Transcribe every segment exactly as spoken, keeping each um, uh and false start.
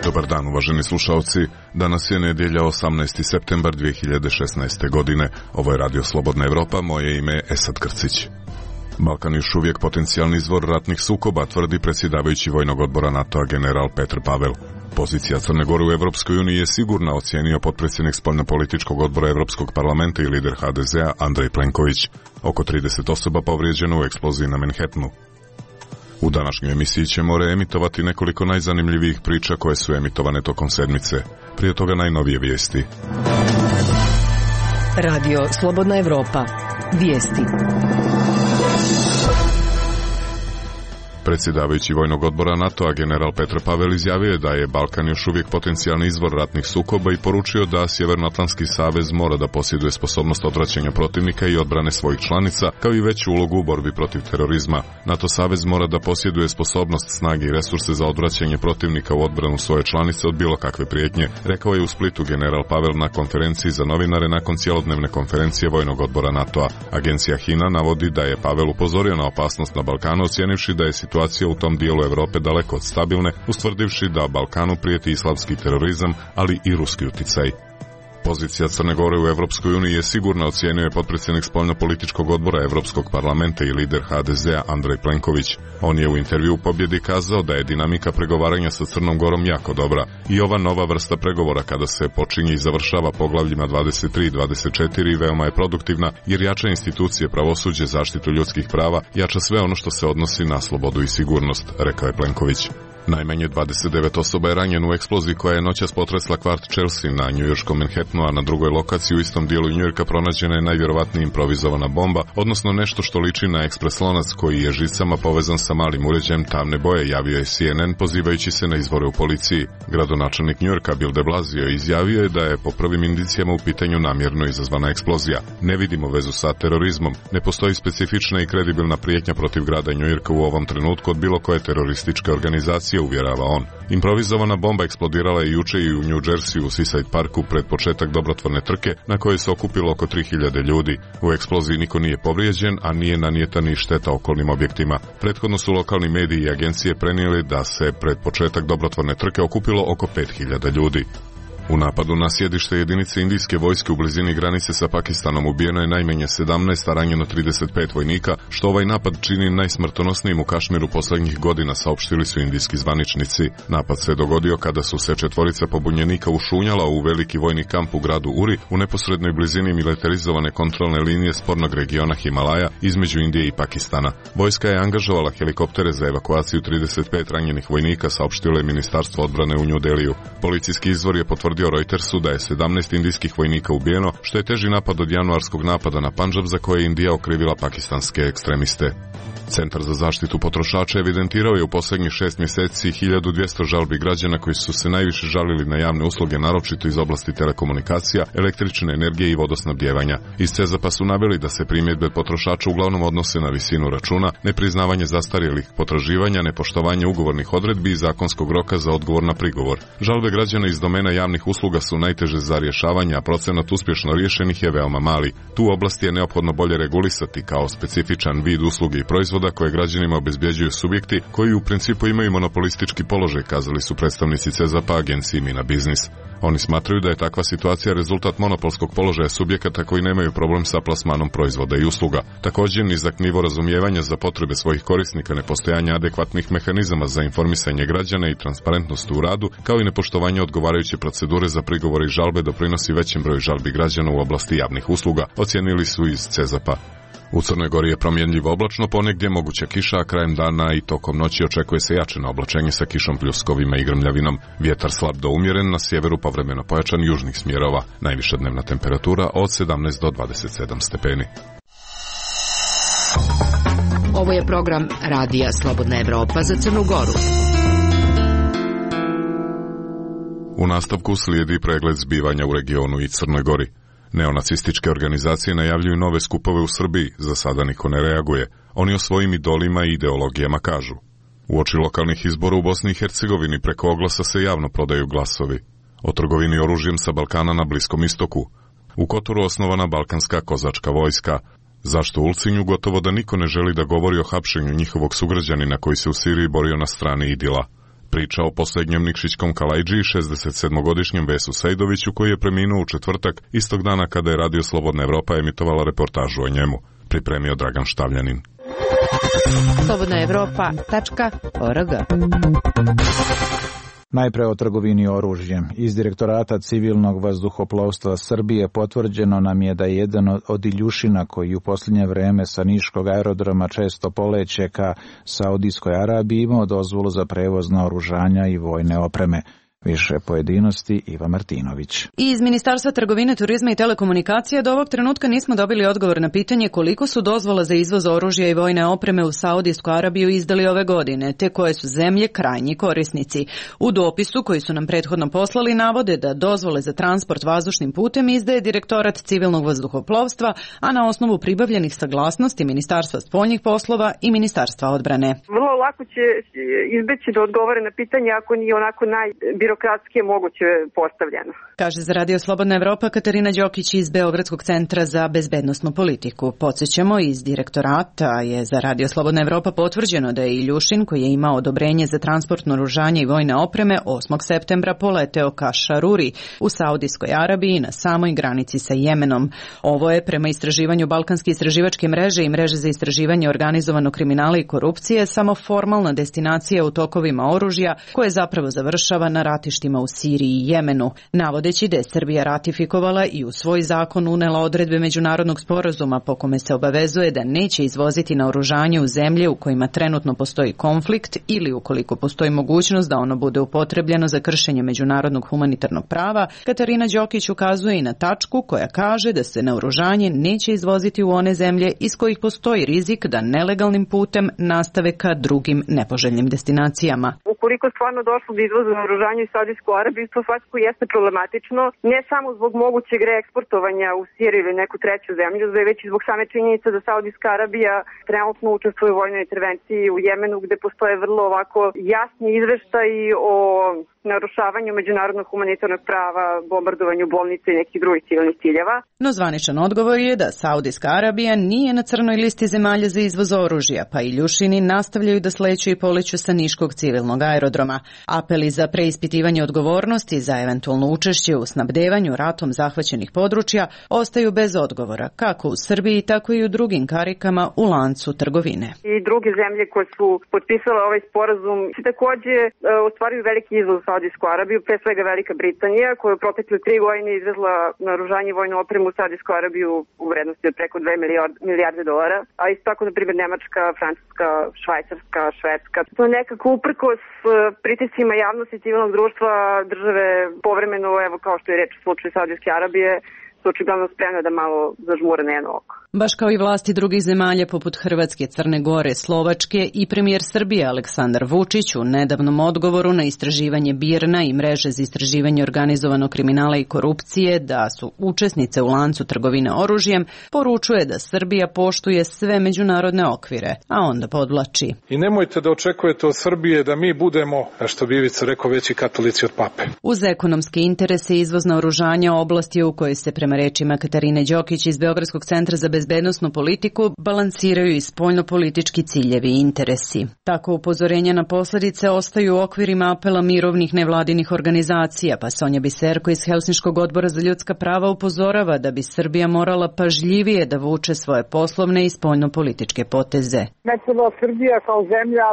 Dobar dan, uvaženi slušalci. Danas je nedjelja osamnaesti septembar dvije hiljade šesnaeste. godine. Ovo je Radio Slobodna Evropa, moje ime je Esad Krcić. Balkan još uvijek potencijalni izvor ratnih sukoba, tvrdi predsjedavajući Vojnog odbora NATO-a general Petr Pavel. Pozicija Crne Gore u Evropskoj uniji je sigurna, ocijenio potpredsjednik spoljnopolitičkog odbora Evropskog parlamenta i lider ha de zea Andrej Plenković. Oko trideset osoba povrijeđeno u eksploziji na Manhattanu. U današnjoj emisiji ćemo reemitovati nekoliko najzanimljivijih priča koje su emitovane tokom sedmice. Prije toga najnovije vijesti. Radio Slobodna Evropa. Vijesti. Predsjedavajući Vojnog odbora NATO-a general Petr Pavel izjavio je da je Balkan još uvijek potencijalni izvor ratnih sukoba i poručio da Sjevernoatlantski savez mora da posjeduje sposobnost odvraćanja protivnika i odbrane svojih članica, kao i veću ulogu u borbi protiv terorizma. NATO savez mora da posjeduje sposobnost, snage i resurse za odvraćanje protivnika u odbranu svoje članice od bilo kakve prijetnje, rekao je u Splitu general Pavel na konferenciji za novinare nakon cjelodnevne konferencije Vojnog odbora NATO-a. Agencija HINA navodi da je Pavel upozorio na opasnost na Balkanu, ocijenivši da je situacija Situacija u tom dijelu Europe daleko od stabilne, ustvrdivši da Balkanu prijeti islamski terorizam, ali i ruski uticaj. Pozicija Crne Gore u Evropskoj uniji je sigurna, ocijenio je potpredsjednik spoljnopolitičkog odbora Evropskog parlamenta i lider ha de zea Andrej Plenković. On je u intervju u Pobjedi kazao da je dinamika pregovaranja sa Crnom Gorom jako dobra i ova nova vrsta pregovora kada se počinje i završava poglavljima dvadeset tri i dvadeset četiri veoma je produktivna jer jača institucije, pravosuđe, zaštitu ljudskih prava, jača sve ono što se odnosi na slobodu i sigurnost, rekao je Plenković. Najmanje dvadeset devet osoba je ranjeno u eksploziji koja je noćas potresla kvart Chelsea na njujorškom Manhattanu, a na drugoj lokaciji u istom dijelu Njujorka pronađena je najvjerovatnije improvizovana bomba, odnosno nešto što liči na ekspres lonac koji je žicama povezan sa malim uređajem tamne boje, javio je C N N pozivajući se na izvore u policiji. Gradonačelnik Njujorka Bill de Blasio izjavio je da je po prvim indicijama u pitanju namjerno izazvana eksplozija. Ne vidimo vezu sa terorizmom, ne postoji specifična i kredibilna prijetnja protiv grada Njujorka u ovom trenutku od bilo koje terorističke organizacije, uvjerava on. Improvizovana bomba eksplodirala je juče i u New Jersey u Seaside Parku pred početak dobrotvorne trke na kojoj se okupilo oko tri hiljade ljudi. U eksploziji niko nije povrijeđen, a nije nanijeta ni šteta okolnim objektima. Prethodno su lokalni mediji i agencije prenijeli da se pred početak dobrotvorne trke okupilo oko pet hiljada ljudi. U napadu na sjedište jedinice indijske vojske u blizini granice sa Pakistanom ubijeno je najmanje sedamnaest, a ranjeno trideset pet vojnika, što ovaj napad čini najsmrtonosnijim u Kašmiru posljednjih godina, saopštili su indijski zvaničnici. Napad se dogodio kada su se četvorica pobunjenika ušunjala u veliki vojni kamp u gradu Uri u neposrednoj blizini militarizovane kontrolne linije spornog regiona Himalaja između Indije i Pakistana. Vojska je angažovala helikoptere za evakuaciju trideset pet ranjenih vojnika, saopštilo je Ministarstvo odbrane u New Delhiju. Policijski izvor je potvrdio Reutersu da je sedamnaest indijskih vojnika ubijeno, što je teži napad od januarskog napada na Pandžab za koje je Indija okrivila pakistanske ekstremiste. Centar za zaštitu potrošača evidentirao je u posljednjih šest mjeseci hiljadu dvjesto žalbi građana koji su se najviše žalili na javne usluge, naročito iz oblasti telekomunikacija, električne energije i vodosnabdjevanja. Iz CEZAP-a su naveli da se primjedbe potrošača uglavnom odnose na visinu računa, nepriznavanje zastarjelih potraživanja, nepoštovanje ugovornih odredbi i zakonskog roka za odgovor na prigovor. Žalbe građana iz domena javnih usluga su najteže za rješavanje, a procenat uspješno riješenih je veoma mali. Tu oblast je neophodno bolje regulisati kao specifičan vid usluge i proizvoda koje građanima obezbjeđuju subjekti koji u principu imaju monopolistički položaj, kazali su predstavnici CEZAP-a agenciji Mina Biznis. Oni smatraju da je takva situacija rezultat monopolskog položaja subjekata koji nemaju problem sa plasmanom proizvoda i usluga. Također, nizak nivo razumijevanja za potrebe svojih korisnika, nepostojanje adekvatnih mehanizama za informisanje građana i transparentnost u radu, kao i nepoštovanje odgovarajuće procedure za prigovore i žalbe doprinosi većem broju žalbi građana u oblasti javnih usluga, ocijenili su iz CEZAP-a. U Crnoj Gori je promjenljivo oblačno, ponegdje moguća kiša, a krajem dana i tokom noći očekuje se jačeno oblačenje sa kišom, pljuskovima i grmljavinom. Vjetar slab do umjeren, na sjeveru povremeno pojačan južnih smjerova. Najviša dnevna temperatura od sedamnaest do dvadeset sedam stepeni. Ovo je program Radija Slobodna Evropa za Crnu Goru. U nastavku slijedi pregled zbivanja u regionu i Crnoj Gori. Neonacističke organizacije najavljuju nove skupove u Srbiji, za sada niko ne reaguje. Oni o svojim idolima i ideologijama kažu. Uoči lokalnih izbora u Bosni i Hercegovini preko oglasa se javno prodaju glasovi. O trgovini oružjem sa Balkana na Bliskom istoku. U Kotoru osnovana balkanska kozačka vojska. Zašto u Ulcinju gotovo da niko ne želi da govori o hapšenju njihovog sugrađanina koji se u Siriji borio na strani Idila? Priča o posljednjem Nikšićkom Kalajđiji, šezdesetsedmogodišnjem Vesu Sejdoviću, koji je preminuo u četvrtak, istog dana kada je Radio Slobodna Evropa emitovala reportažu o njemu. Pripremio Dragan Štavljanin. slobodna evropa tačka org. Najpre o trgovini oružjem. Iz Direktorata civilnog vazduhoplovstva Srbije potvrđeno nam je da je jedan od Iljušina koji u posljednje vreme sa niškog aerodroma često poleće ka Saudijskoj Arabiji imao dozvolu za prevoz naoružanja i vojne opreme. Više pojedinosti Iva Martinović. Iz Ministarstva trgovine, turizma i telekomunikacija do ovog trenutka nismo dobili odgovor na pitanje koliko su dozvola za izvoz oružja i vojne opreme u Saudijsku Arabiju izdali ove godine, te koje su zemlje krajnji korisnici. U dopisu koji su nam prethodno poslali navode da dozvole za transport vazdušnim putem izdaje Direktorat civilnog vazduhoplovstva, a na osnovu pribavljenih saglasnosti Ministarstva spoljnih poslova i Ministarstva odbrane. Vrlo lako će izbeći da odgovore na pitanje ako nije onako naj birokratski je moguće postavljeno. Kaže za Radio Slobodna Evropa Katarina Đokić iz Beogradskog centra za bezbednosnu politiku. Podsjećamo, iz Direktorata je za Radio Slobodna Evropa potvrđeno da je Iljušin, koji je imao odobrenje za transport naoružanja i vojne opreme, osmog septembra poleteo ka Šaruri u Saudijskoj Arabiji na samoj granici sa Jemenom. Ovo je, prema istraživanju Balkanske istraživačke mreže i mreže za istraživanje organizovanog kriminala i korupcije, samo formalna destinacija u tokovima oružja koje zapravo završava na ratištima u Siriji i Jemenu, navodeći da je Srbija ratifikovala i u svoj zakon unela odredbe međunarodnog sporazuma po kome se obavezuje da neće izvoziti naoružanje u zemlje u kojima trenutno postoji konflikt ili ukoliko postoji mogućnost da ono bude upotrebljeno za kršenje međunarodnog humanitarnog prava. Katarina Đokić ukazuje i na tačku koja kaže da se naoružanje neće izvoziti u one zemlje iz kojih postoji rizik da nelegalnim putem nastave ka drugim nepoželjnim destinacijama. Ukoliko stvarno došlo do izvoza naoružanja u Saudijsku Arabiju, to svakako jeste problematično, ne samo zbog mogućeg reeksportovanja u Siriju ili neku treću zemlju, već i zbog same činjenice da Saudijska Arabija trenutno učestvuje u vojnoj intervenciji u Jemenu, gde postoje vrlo ovako jasni izveštaji o narušavanju međunarodnog humanitarnog prava, bombardovanju bolnice i nekih drugih civilnih ciljeva. No zvaničan odgovor je da Saudijska Arabija nije na crnoj listi zemalja za izvoz oružja, pa Iljušini nastavljaju da sleću i poleću sa niškog civilnog aerodroma. Apeli za preispitivanje odgovornosti za eventualno učešće u snabdevanju ratom zahvaćenih područja ostaju bez odgovora, kako u Srbiji, tako i u drugim karikama u lancu trgovine. I druge zemlje koje su potpisale ovaj sporazum takođe ostvaruju veliki izvoz u Saudijsku Arabiju, pre svega Velika Britanija, koja je u protekle tri godine izvezla naoružanje i vojnu opremu u Saudijsku Arabiju u vrednosti od preko dve milijarde dolara, a isto tako, na primjer, Nemačka, Francuska, Švajcarska, Švedska. To nekako uprkos pritiscima javnosti civilnog društva države povremeno, evo kao što je reč u slučaju Saudijske Arabije, su očigledno spremne da malo zažmure na jedno oko. Baš kao i vlasti drugih zemalja poput Hrvatske, Crne Gore, Slovačke i premijer Srbije Aleksandar Vučić u nedavnom odgovoru na istraživanje BIRN-a i mreže za istraživanje organizovanog kriminala i korupcije da su učesnice u lancu trgovine oružjem, poručuje da Srbija poštuje sve međunarodne okvire, a onda podvlači. I nemojte da očekujete od Srbije da mi budemo, što bi Ivica rekao, veći katolici od pape. Uz ekonomske interese i izvoz naoružanja oblasti u kojoj se, prema rečima Katarine Đokić iz Beogradskog centra za bezbednosnu politiku, balansiraju i spoljnopolitički ciljevi i interesi. Tako upozorenja na posledice ostaju u okvirima apela mirovnih nevladinih organizacija, pa Sonja Biserko iz Helsinškog odbora za ljudska prava upozorava da bi Srbija morala pažljivije da vuče svoje poslovne i spoljnopolitičke poteze. Ne treba Srbija kao zemlja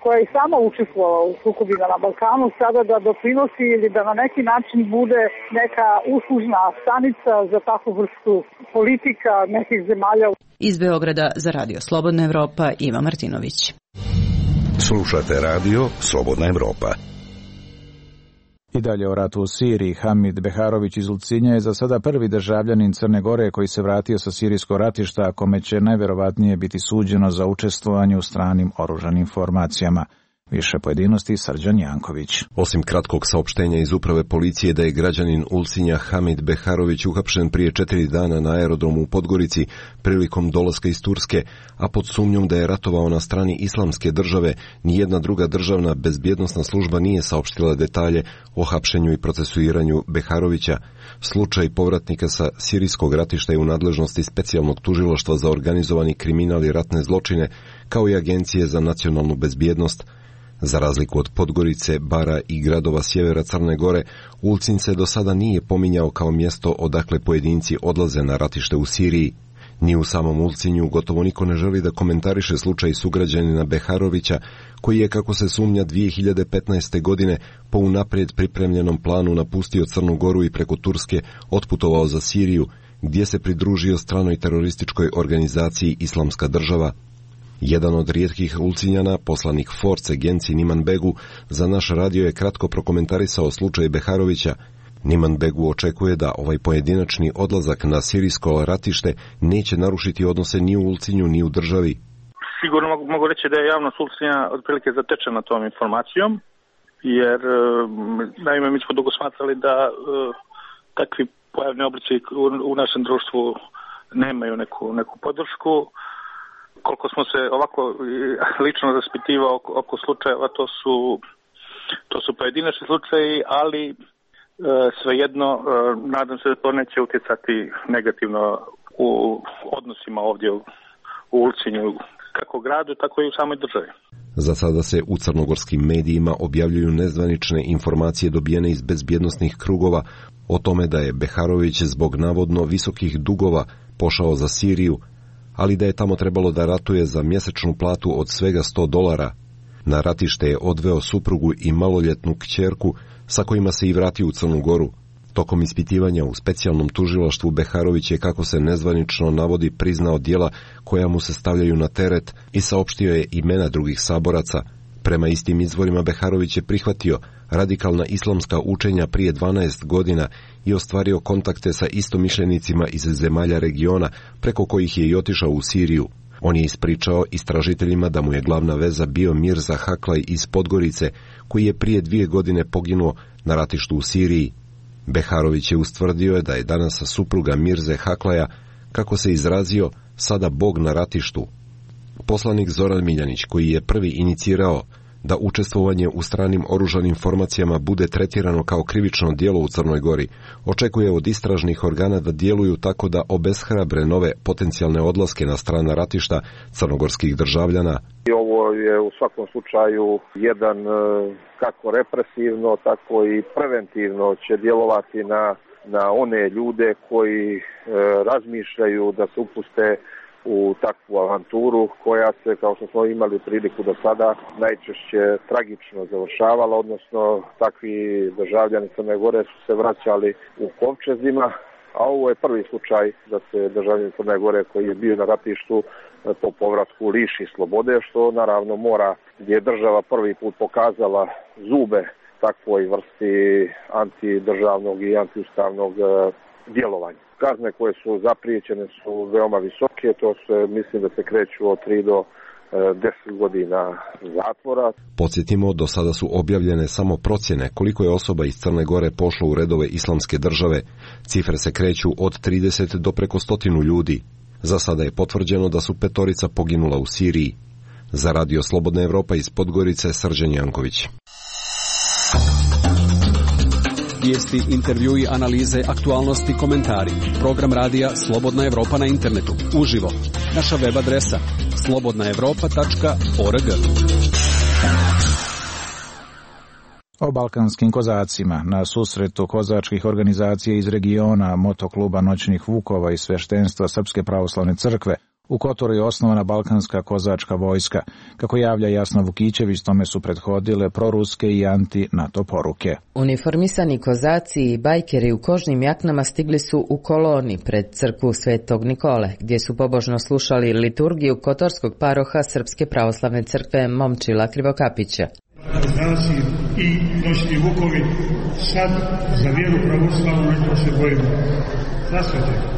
koja je sama učestvovala u sukobima na Balkanu, sada da doprinosi ili da na neki način bude neka uslužna stanica za takvu vrstu politika nekih zemalja. Iz Beograda za Radio Slobodna Evropa, Iva Martinović. Slušate Radio Slobodna Evropa. I dalje o ratu u Siriji. Hamid Beharović iz Ulcinja je za sada prvi državljanin Crne Gore koji se vratio sa sirijskog ratišta, a kome će najverovatnije biti suđeno za učestvovanje u stranim oružanim formacijama. Više pojedinosti Srđan Janković. Osim kratkog saopštenja iz uprave policije da je građanin Ulcinja Hamid Beharović uhapšen prije četiri dana na aerodromu u Podgorici prilikom dolaska iz Turske, a pod sumnjom da je ratovao na strani islamske države, nijedna druga državna bezbjednosna služba nije saopštila detalje o hapšenju i procesuiranju Beharovića. Slučaj povratnika sa sirijskog ratišta je u nadležnosti specijalnog tužilaštva za organizovani kriminal i ratne zločine, kao i Agencije za nacionalnu bezbjednost. Za razliku od Podgorice, Bara i gradova sjevera Crne Gore, Ulcinj se do sada nije pominjao kao mjesto odakle pojedinci odlaze na ratište u Siriji. Ni u samom Ulcinju gotovo niko ne želi da komentariše slučaj sugrađanina Beharovića, koji je, kako se sumnja, dvije hiljade petnaeste. godine po unaprijed pripremljenom planu napustio Crnu Goru i preko Turske otputovao za Siriju, gdje se pridružio stranoj terorističkoj organizaciji Islamska država. Jedan od rijetkih Ulcinjana, poslanik Force Genci Niman Begu, za naš radio je kratko prokomentarisao slučaj Beharovića. Niman Begu očekuje da ovaj pojedinačni odlazak na sirijsko ratište neće narušiti odnose ni u Ulcinju ni u državi. Sigurno mogu, mogu reći da je javnost Ulcinja otprilike zatečena tom informacijom, jer naime mi smo dugo smatrali da uh, takvi pojavni oblici u, u našem društvu nemaju neku, neku podršku. Koliko smo se ovako lično raspitivao oko, oko slučajeva, to su, to su pojedinačni slučaji, ali e, svejedno e, nadam se da to neće utjecati negativno u odnosima ovdje u, u Ulcinju, kako gradu, tako i u samoj državi. Za sada se u crnogorskim medijima objavljuju nezvanične informacije dobijene iz bezbjednosnih krugova o tome da je Beharović zbog navodno visokih dugova pošao za Siriju, ali da je tamo trebalo da ratuje za mjesečnu platu od svega sto dolara. Na ratište je odveo suprugu i maloljetnu kćerku, sa kojima se i vratio u Crnu Goru. Tokom ispitivanja u specijalnom tužilaštvu Beharović je, kako se nezvanično navodi, priznao djela koja mu se stavljaju na teret i saopštio je imena drugih saboraca. Prema istim izvorima Beharović je prihvatio radikalna islamska učenja prije dvanaest godina i ostvario kontakte sa istomišljenicima iz zemalja regiona, preko kojih je i otišao u Siriju. On je ispričao istražiteljima da mu je glavna veza bio Mirza Haklaj iz Podgorice, koji je prije dvije godine poginuo na ratištu u Siriji. Beharović je ustvrdio da je danas supruga Mirze Haklaja, kako se izrazio, sada bog na ratištu. Poslanik Zoran Miljanić, koji je prvi inicirao da učestvovanje u stranim oružanim formacijama bude tretirano kao krivično djelo u Crnoj Gori, očekuje od istražnih organa da djeluju tako da obeshrabre nove potencijalne odlaske na strana ratišta crnogorskih državljana. I ovo je u svakom slučaju jedan, kako represivno, tako i preventivno će djelovati na, na one ljude koji e, razmišljaju da se upuste u takvu avanturu koja se, kao što smo imali priliku do sada, najčešće tragično završavala, odnosno takvi državljani Crne Gore su se vraćali u kovčezima, a ovo je prvi slučaj da se državljanin Crne Gore koji je bio na ratištu po povratku liši slobode, što naravno mora, gdje je država prvi put pokazala zube takvoj vrsti antidržavnog i antiustavnog djelovanja. Kazne koje su zapriječene su veoma visoke, to se mislim da se kreću od tri do deset godina zatvora. Podsjetimo, do sada su objavljene samo procjene koliko je osoba iz Crne Gore pošlo u redove islamske države. Cifre se kreću od trideset do preko stotinu ljudi. Za sada je potvrđeno da su petorica poginula u Siriji. Za Radio Slobodna Evropa iz Podgorice, Srđan Janković. Vijesti, intervjui, analize, aktualnosti, komentari. Program radija Slobodna Evropa na internetu. Uživo. Naša web adresa slobodna evropa tačka org. O balkanskim kozacima na susretu kozačkih organizacija iz regiona, motokluba Noćnih Vukova i sveštenstva Srpske pravoslavne crkve, u Kotoru je osnovana balkanska kozačka vojska. Kako javlja Jasna Vukićević, tome su prethodile proruske i anti-NATO poruke. Uniformisani kozaci i bajkeri u kožnim jaknama stigli su u koloni pred crkvu Svetog Nikole, gdje su pobožno slušali liturgiju kotorskog paroha Srpske pravoslavne crkve Momčila Krivokapića. Kozaci i Noćni Vukovi, sad za vjeru pravoslavnu nešto se bojimo. Zasvete.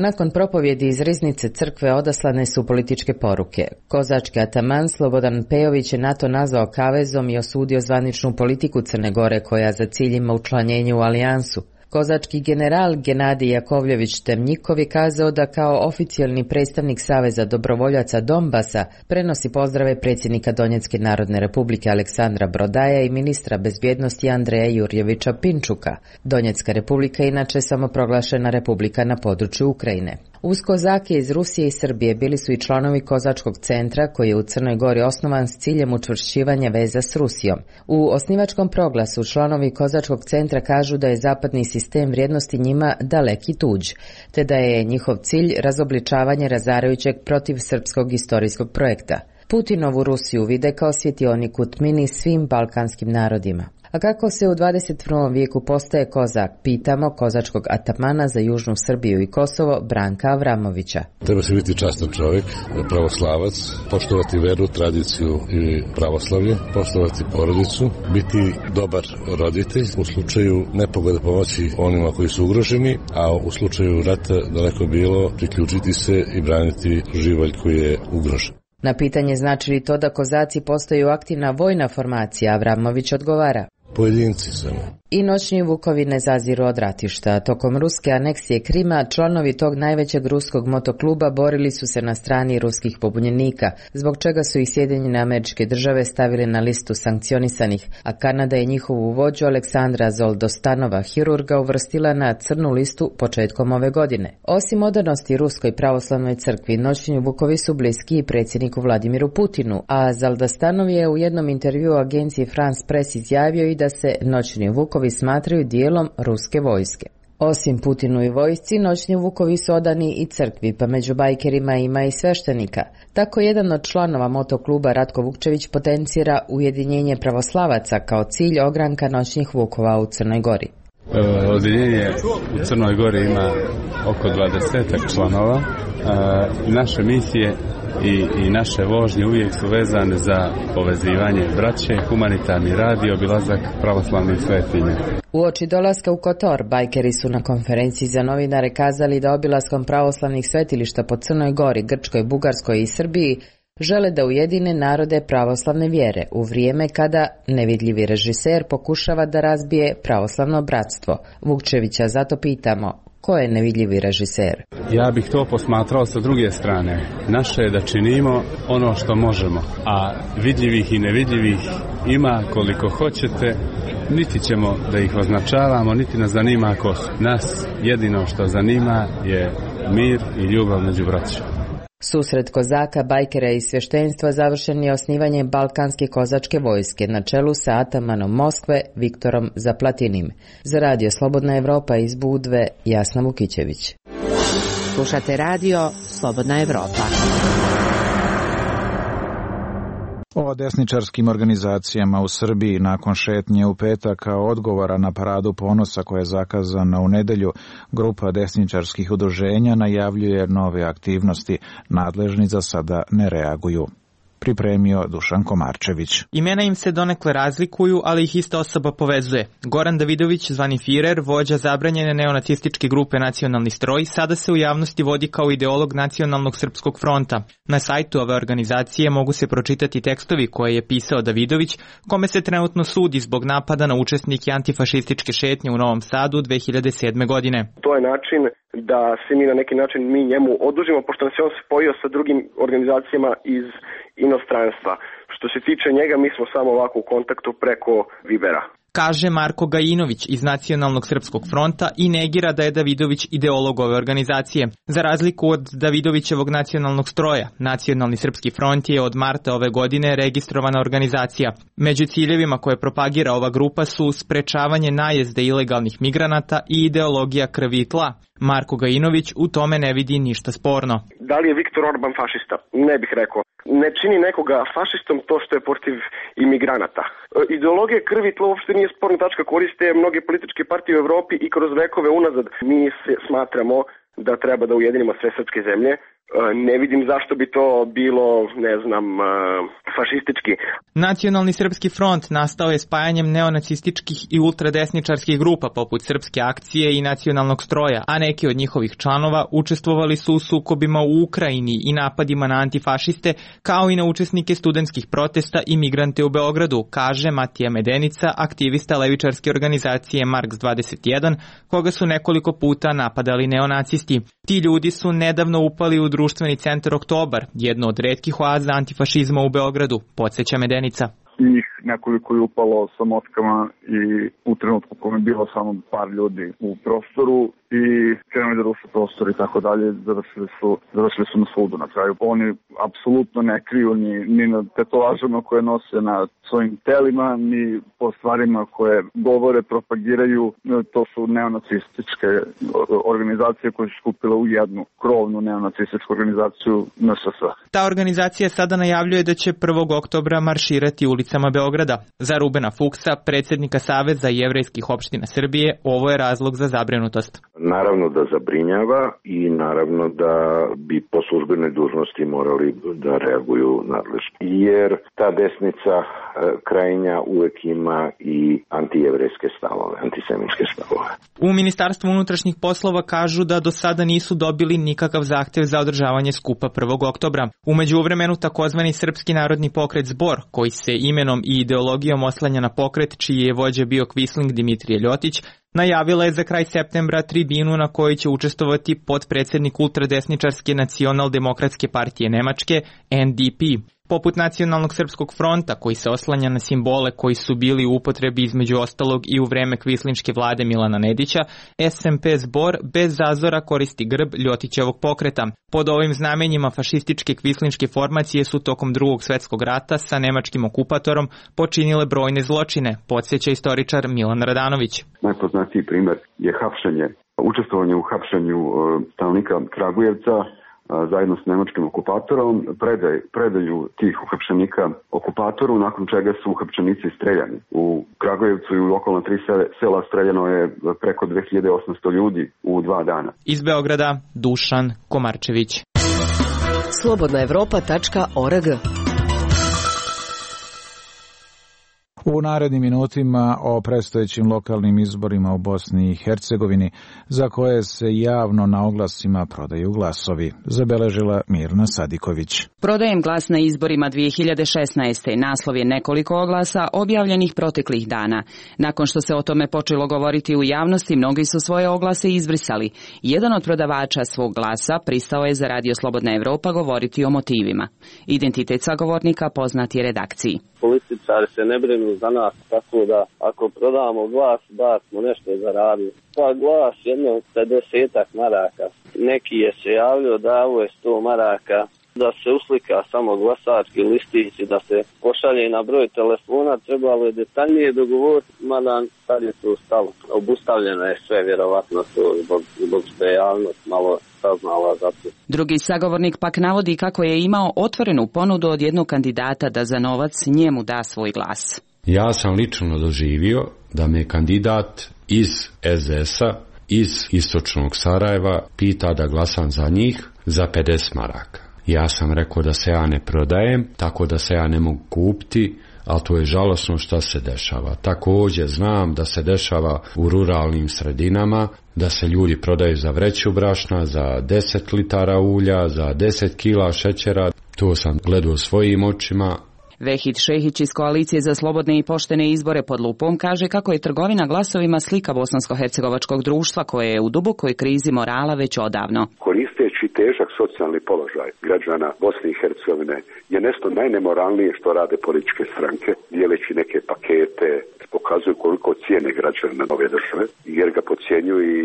Nakon propovjedi iz riznice crkve odaslane su političke poruke. Kozački ataman Slobodan Pejović je NATO nazvao kavezom i osudio zvaničnu politiku Crne Gore koja za cilj ima učlanjenje u alijansu. Kozački general Genadij Jakovljević Temnjikov je kazao da kao oficijalni predstavnik Saveza dobrovoljaca Donbasa prenosi pozdrave predsjednika Donjecke narodne republike Aleksandra Brodaja i ministra bezbjednosti Andreja Jurjevića Pinčuka. Donjecka republika je inače samoproglašena republika na području Ukrajine. Uz kozake iz Rusije i Srbije bili su i članovi Kozačkog centra koji je u Crnoj Gori osnovan s ciljem učvršćivanja veza s Rusijom. U osnivačkom proglasu članovi Kozačkog centra kažu da je zapadni sistem vrijednosti njima daleki tuđ, te da je njihov cilj razobličavanje razarajućeg protiv srpskog istorijskog projekta. Putinovu Rusiju vide kao svjetionik u tmini svim balkanskim narodima. A kako se u dvadeset prvom vijeku postaje kozak, pitamo kozačkog atamana za Južnu Srbiju i Kosovo Branka Avramovića. Treba se biti častan čovjek, pravoslavac, poštovati veru, tradiciju i pravoslavlje, poštovati porodicu, biti dobar roditelj, u slučaju nepogode pomoći onima koji su ugroženi, a u slučaju rata daleko bilo priključiti se i braniti živalj koji je ugrožen. Na pitanje znači li to da kozaci postaju aktivna vojna formacija, Avramović odgovara. Pojedinci samo. I noćni vukovi ne zaziru od ratišta. Tokom ruske aneksije Krima, članovi tog najvećeg ruskog motokluba borili su se na strani ruskih pobunjenika, zbog čega su ih Sjedinjene Američke Države stavili na listu sankcionisanih, a Kanada je njihovu vođu Aleksandra Zoldostanova, hirurga, uvrstila na crnu listu početkom ove godine. Osim odanosti Ruskoj pravoslavnoj crkvi, noćni vukovi su bliski i predsjedniku Vladimiru Putinu, a Zoldostanov je u jednom intervjuu agenciji France Press izjavio i da se noćni vukovi smatraju dijelom ruske vojske. Osim Putinu i vojsci, noćni vukovi su odani i crkvi, pa među bajkerima ima i sveštenika. Tako jedan od članova motokluba Ratko Vukčević potencira ujedinjenje pravoslavaca kao cilj ogranka noćnih vukova u Crnoj Gori. Odjeljenje u Crnoj Gori ima oko dvadesetak članova. Naše misije I, i naše vožnje uvijek su vezane za povezivanje braće, humanitarni rad i obilazak pravoslavnih svetinja. Uoči dolaska u Kotor, bajkeri su na konferenciji za novinare kazali da obilaskom pravoslavnih svetilišta po Crnoj Gori, Grčkoj, Bugarskoj i Srbiji žele da ujedine narode pravoslavne vjere u vrijeme kada nevidljivi režiser pokušava da razbije pravoslavno bratstvo. Vukčevića zato pitamo, ko je nevidljivi režiser? Ja bih to posmatrao sa druge strane. Naše je da činimo ono što možemo, a vidljivih i nevidljivih ima koliko hoćete, niti ćemo da ih označavamo, niti nas zanima ko su. Nas jedino što zanima je mir i ljubav među braćom. Susret kozaka, bajkera i sveštenstva završen je osnivanjem Balkanske kozačke vojske na čelu sa atamanom Moskve Viktorom Zaplatinim. Za radio Slobodna Evropa iz Budve, Jasna Vukićević. Slušate radio Slobodna Evropa. O desničarskim organizacijama u Srbiji nakon šetnje u petak kao odgovora na paradu ponosa koja je zakazana u nedelju, grupa desničarskih udruženja najavljuje nove aktivnosti. Nadležni za sada ne reaguju. Pripremio Dušan Komarčević. Imena im se donekle razlikuju, ali ih ista osoba povezuje. Goran Davidović, zvani Firer, vođa zabranjene neonacističke grupe Nacionalni stroj, sada se u javnosti vodi kao ideolog Nacionalnog srpskog fronta. Na sajtu ove organizacije mogu se pročitati tekstovi koje je pisao Davidović, kome se trenutno sudi zbog napada na učesnike antifašističke šetnje u Novom Sadu dve hiljade sedme. godine. To je način da se mi na neki način mi njemu odužimo, pošto nam se on spojio sa drugim organizacijama iz inostranstva. Što se tiče njega, mi smo samo ovako u kontaktu preko Vibera. Kaže Marko Gajinović iz Nacionalnog srpskog fronta i negira da je Davidović ideolog ove organizacije. Za razliku od Davidovićevog nacionalnog stroja, Nacionalni srpski front je od marta ove godine registrovana organizacija. Među ciljevima koje propagira ova grupa su sprečavanje najezde ilegalnih migranata i ideologija krvi i tla. Marko Gajinović u tome ne vidi ništa sporno. Da li je Viktor Orban fašista? Ne bih rekao. Ne čini nekoga fašistom to što je protiv imigranata. Ideologija krvi i tla uopšte nije sporna tačka, koriste mnoge političke partije u Evropi i kroz vekove unazad. Mi se smatramo da treba da ujedinimo sve srpske zemlje, Ne vidim zašto bi to bilo, ne znam, fašistički. Nacionalni srpski front nastao je spajanjem neonacističkih i ultradesničarskih grupa poput Srpske akcije i Nacionalnog stroja, a neki od njihovih članova učestvovali su u sukobima u Ukrajini i napadima na antifašiste, kao i na učesnike studentskih protesta i migrante u Beogradu, kaže Matija Medenica, aktivista levičarske organizacije Marks dvadeset jedan, koga su nekoliko puta napadali neonacisti. Ti ljudi su nedavno upali u društveni centar Oktobar, jedno od retkih oaza antifašizma u Beogradu, podsjeća Medenica. Njih nekoliko je upalo sa motkama i u trenutku kome je bilo samo par ljudi u prostoru i krenuli da ruše prostor i tako dalje, završili su, završili su na sudu na kraju. Oni apsolutno ne kriju ni, ni na tetovažama koje nose na svojim telima, ni po stvarima koje govore, propagiraju. To su neonacističke organizacije koje su skupile u jednu krovnu neonacističku organizaciju N S S. Ta organizacija sada najavljuje da će prvog oktobra marširati ulicama Beograda. Za Rubena Fuksa, predsjednika Saveza jevrejskih opština Srbije, ovo je razlog za zabrinutost. Naravno da zabrinjava i naravno da bi po službenoj dužnosti morali da reaguju nadležno. Jer ta desnica krajnja uvek ima i antijevrejske stavove, antisemičke stavove. U Ministarstvu unutrašnjih poslova kažu da do sada nisu dobili nikakav zahtev za održavanje skupa prvog oktobra. U međuvremenu takozvani Srpski narodni pokret Zbor, koji se imenom i ideologijom oslanja na pokret čiji je vođa bio Kvisling Dimitrije Ljotić, najavila je za kraj septembra tribinu na kojoj će učestvovati potpredsjednik ultradesničarske nacionaldemokratske partije Nemačke N D P. Poput Nacionalnog srpskog fronta, koji se oslanja na simbole koji su bili u upotrebi između ostalog i u vreme kvislinške vlade Milana Nedića, S M P Zbor bez zazora koristi grb Ljotićevog pokreta. Pod ovim znamenjima fašističke kvislinške formacije su tokom drugog svjetskog rata sa nemačkim okupatorom počinile brojne zločine, podsjeća istoričar Milan Radanović. Najpoznatiji primjer je hapšenje, učestvovanje u hapšenju stanovnika Kragujevca zajedno s nemačkim okupatorom, predaj, predaju tih uhapšenika okupatoru, nakon čega su uhapšenici streljani. U Kragujevcu i u okolna tri sela streljano je preko dve hiljade osamsto ljudi u dva dana. Iz Beograda, Dušan Komarčević. slobodna evropa tačka org. U narednim minutima o predstojećim lokalnim izborima u Bosni i Hercegovini, za koje se javno na oglasima prodaju glasovi, zabeležila Mirna Sadiković. Prodajem glas na izborima dvije hiljade šesnaeste. Naslov je nekoliko oglasa objavljenih proteklih dana. Nakon što se o tome počelo govoriti u javnosti, mnogi su svoje oglase izbrisali. Jedan od prodavača svog glasa pristao je za Radio Slobodna Evropa govoriti o motivima. Identitet sagovornika poznat je redakciji. Političari se ne brinu za nas, tako da ako prodamo glas, da smo nešto zaradili. Pa glas jedno pedesetak maraka. Neki je se javljao da ovo je sto maraka, da se uslika samo glasački listić i da se pošalje na broj telefona, trebalo je detaljnije dogovoriti, mada sad je to stalo. Obustavljeno je sve, vjerovatno to zbog, zbog što je javnost malo saznala za to. Drugi sagovornik pak navodi kako je imao otvorenu ponudu od jednog kandidata da za novac njemu da svoj glas. Ja sam lično doživio da me kandidat iz S D S-a, iz istočnog Sarajeva, pita da glasam za njih za pedeset maraka. Ja sam rekao da se ja ne prodajem, tako da se ja ne mogu kupiti, ali to je žalosno što se dešava. Također znam da se dešava u ruralnim sredinama, da se ljudi prodaju za vreću brašna, za deset litara ulja, za deset kila šećera. To sam gledao svojim očima. Vehid Šehić iz Koalicije za slobodne i poštene izbore pod lupom kaže kako je trgovina glasovima slika bosansko-hercegovačkog društva koje je u dubokoj krizi morala već odavno. Koristeći težak socijalni položaj građana Bosne i Hercegovine je nešto najnemoralnije što rade političke stranke, dijeleći neke pakete, pokazuju koliko cijene građana ove države, jer ga podcjenjuju i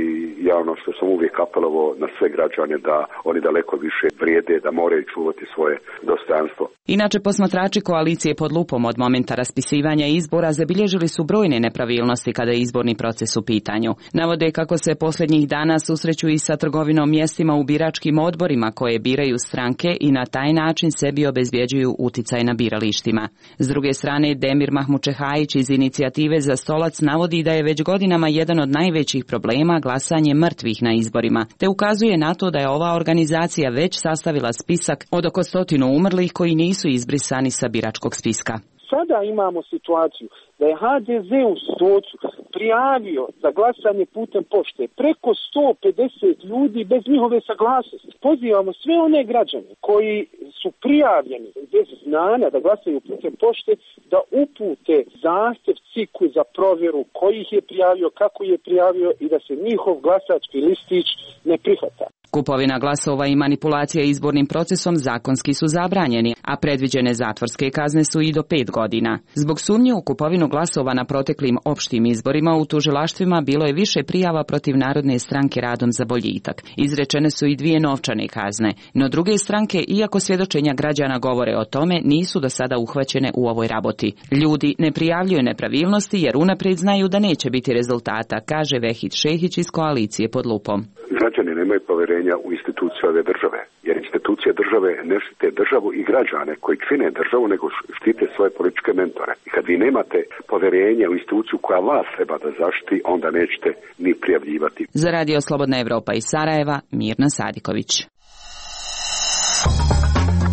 ja ono što sam uvijek apelovao na sve građane da oni daleko više vrijede, da moraju čuvati svoje dostojanstvo. Inače, posmatrači koalicije koalicije pod lupom od momenta raspisivanja izbora zabilježili su brojne nepravilnosti kada je izborni proces u pitanju. Navode kako se posljednjih dana susreću i sa trgovinom mjestima u biračkim odborima koje biraju stranke i na taj način sebi obezbjeđuju uticaj na biralištima. S druge strane, Demir Mahmučehajić iz Inicijative za stolac navodi da je već godinama jedan od najvećih problema glasanje mrtvih na izborima, te ukazuje na to da je ova organizacija već sastavila spisak od oko stotinu umrlih koji nisu izbrisani sa biračkog spiska. Sada imamo situaciju da je ha de ze u Stocu prijavio za glasanje putem pošte preko sto pedeset ljudi bez njihove saglasnosti. Pozivamo sve one građane koji su prijavljeni bez znanja da glasaju putem pošte da upute zahtjev ciku za provjeru koji ih je prijavio, kako je prijavio i da se njihov glasački listić ne prihvata. Kupovina glasova i manipulacija izbornim procesom zakonski su zabranjeni, a predviđene zatvorske kazne su i do pet godina. Zbog sumnje u kupovinu glasova na proteklim opštim izborima u tužilaštvima bilo je više prijava protiv Narodne stranke Radom za boljitak. Izrečene su i dvije novčane kazne, no druge stranke, iako svjedočenja građana govore o tome, nisu do sada uhvaćene u ovoj raboti. Ljudi ne prijavljuju nepravilnosti jer unaprijed znaju da neće biti rezultata, kaže Vehid Šehić iz koalicije pod lupom. Građani nemaju povjerenja u institucije ove države, jer institucije države ne štite državu i građane koji čine državu, nego štite svoje političke mentore. I kad vi nemate povjerenja u instituciju koja vas treba da zaštiti, onda nećete ni prijavljivati. Za Radio Slobodna Evropa iz Sarajeva, Mirna Sadiković.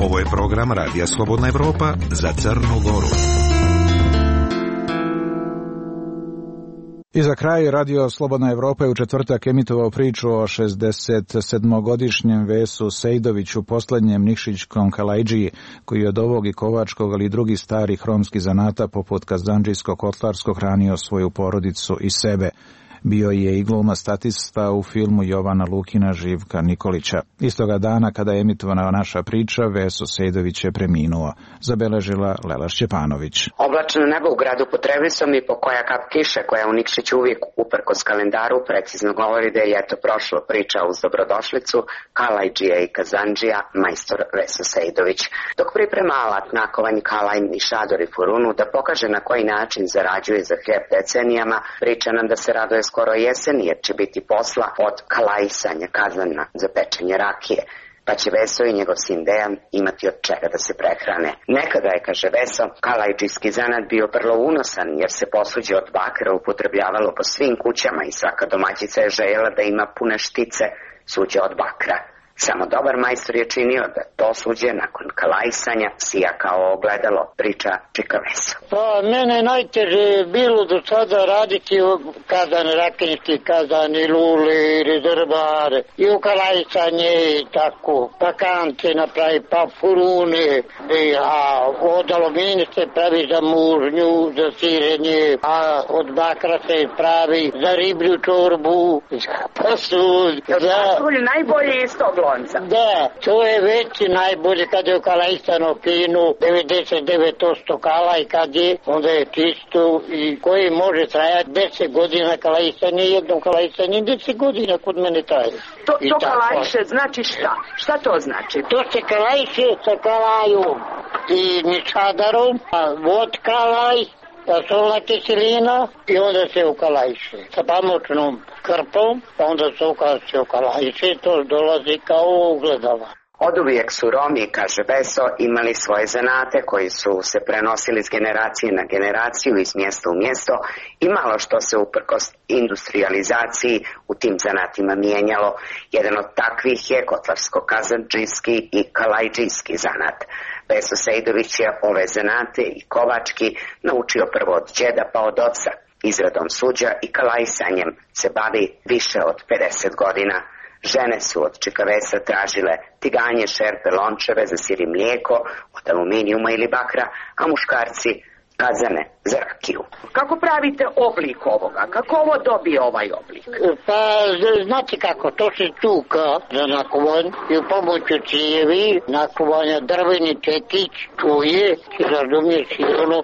Ovo je program Radija Slobodna Evropa za Crnu Goru. I za kraj, Radio Slobodna Evropa je u četvrtak emitovao priču o šezdeset sedmogodišnjem Vesu Sejdoviću, posljednjem Nikšićkom Kalajđiji, koji je od ovog i kovačkog, ali i drugih starih romskih zanata poput kazandžijskog, kotlarskog hranio svoju porodicu i sebe. Bio je i glumac statista u filmu Jovana Lukina Živka Nikolića. Istoga dana kada je emitovana naša priča, Veso Sejdović je preminuo, zabeležila Lela Šćepanović. Oblačno nebo u gradu pod Trevisom i po koja kap kiše koja u Nikšiću uvijek uprkos kalendaru precizno govori da je eto prošlo priča uz dobrodošlicu Kalajđija i Kazandžija majstor Veso Sejdović. Dok priprema alat nakovanj Kalajn i Šador i Furunu da pokaže na koji način zarađuje za hljeb decenijama, priča nam da se raduje skoro jesen jer će biti posla od kalajsanja kazana za pečenje rakije, pa će Veso i njegov sin Dejan imati od čega da se prehrane. Nekada je, kaže Veso, kalajđijski zanat bio vrlo unosan jer se posuđe od bakra upotrebljavalo po svim kućama i svaka domaćica je željela da ima pune štice suđe od bakra. Samo dobar majstor je činio da to suđe nakon kalajsanja sija kao ogledalo, priča Čika Veso. Pa mene najteže je bilo do sada raditi u kazan rakinjski, kazan i luli i rezervare i u kalajsanje i tako, pa kance napravi, pa furune, i, a od aluminija se pravi za mužnju, za sirenje, a od bakra se pravi za riblju čorbu, za pasud. Za... Najbolje iz tog lonca. Da, to je već najbolje kad je u kalajstano pinu, devedeset devet posto kalaj kad je, onda je čisto i koji može trajati deset godina kalajstanje, jednom kalajstanje, deset godina kod mene traje. To, to kalajše znači šta? Šta to znači? To se kalajše sa kalajom i ničadarom, a vod kalaj, solna kiselina i onda se ukalajše sa pamučnom krpom, pa onda se ukalajše ukalajše, to dolazi kao ogledala. Oduvijek su Romi, kaže Veso, imali svoje zanate koji su se prenosili s generacije na generaciju, iz mjesta u mjesto i malo što se uprkos industrializaciji u tim zanatima mijenjalo. Jedan od takvih je kotlarsko-kazandžijski i kalajđijski zanat. Veso Sejdović je ove zanate i kovački naučio prvo od djeda pa od oca. Izradom suđa i kalajsanjem se bavi više od pedeset godina. Žene su od Čika Vesa tražile tiganje, šerpe, lončeve za sir i mlijeko od aluminijuma ili bakra, a muškarci kazane za rakiju. Kako pravite oblik ovoga? Kako ovo dobije ovaj oblik? Pa, znate kako, to se čuka za nakovanj i u pomoću cijevi nakovanja drveni čekić čuje i razumiješ i ono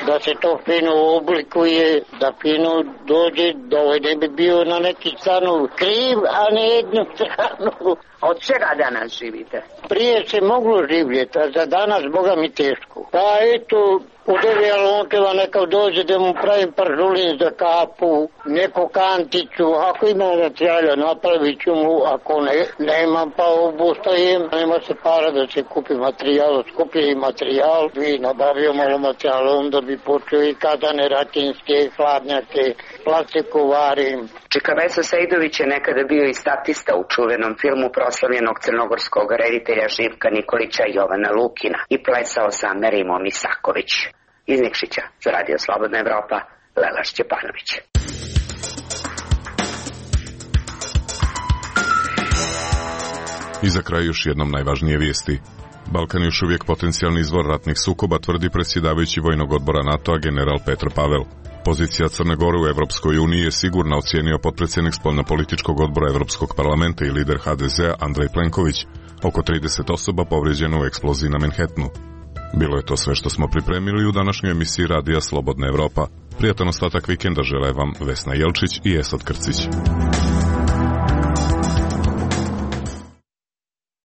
da se to fino oblikuje, da fino dođe, da ovaj ne bi bio na neki stranu kriv, a ne jednu stranu. Od čega danas živite? Prije se moglo živjeti, a za danas, Boga mi teško. Pa eto, u devi Alonteva neka dođe da mu pravim paržulin za kapu, neku kanticu, ako ima materijala napravit ću mu, ako ne, nemam pa obustajem, nema se para da se kupi materijal, skuplji i materijal, bi nabavio malo materijala, onda bi počeo i kazane ratinske, hladnjake, plastiku varim. Čika Veso Sejdović je nekada bio i statista u čuvenom filmu proslavljenog crnogorskog reditelja Živka Nikolića i Jovana Lukina i plesao sa Merimom Isaković. Iz Nikšića za Radio Slobodna Evropa, Lela Šćepanović. I za kraj još jednom najvažnije vijesti. Balkan je još uvijek potencijalni izvor ratnih sukoba, tvrdi predsjedavajući vojnog odbora NATO-a general Petr Pavel. Pozicija Crne Gore u Evropskoj uniji je sigurna, ocijenio potpredsjednik spoljnopolitičkog odbora Evropskog parlamenta i lider ha de zea Andrej Plenković. Oko trideset osoba povrijeđeno u eksploziji na Manhattanu. Bilo je to sve što smo pripremili u današnjoj emisiji Radija Slobodna Evropa. Prijatan ostatak vikenda žele vam Vesna Jelčić i Esad Krcić.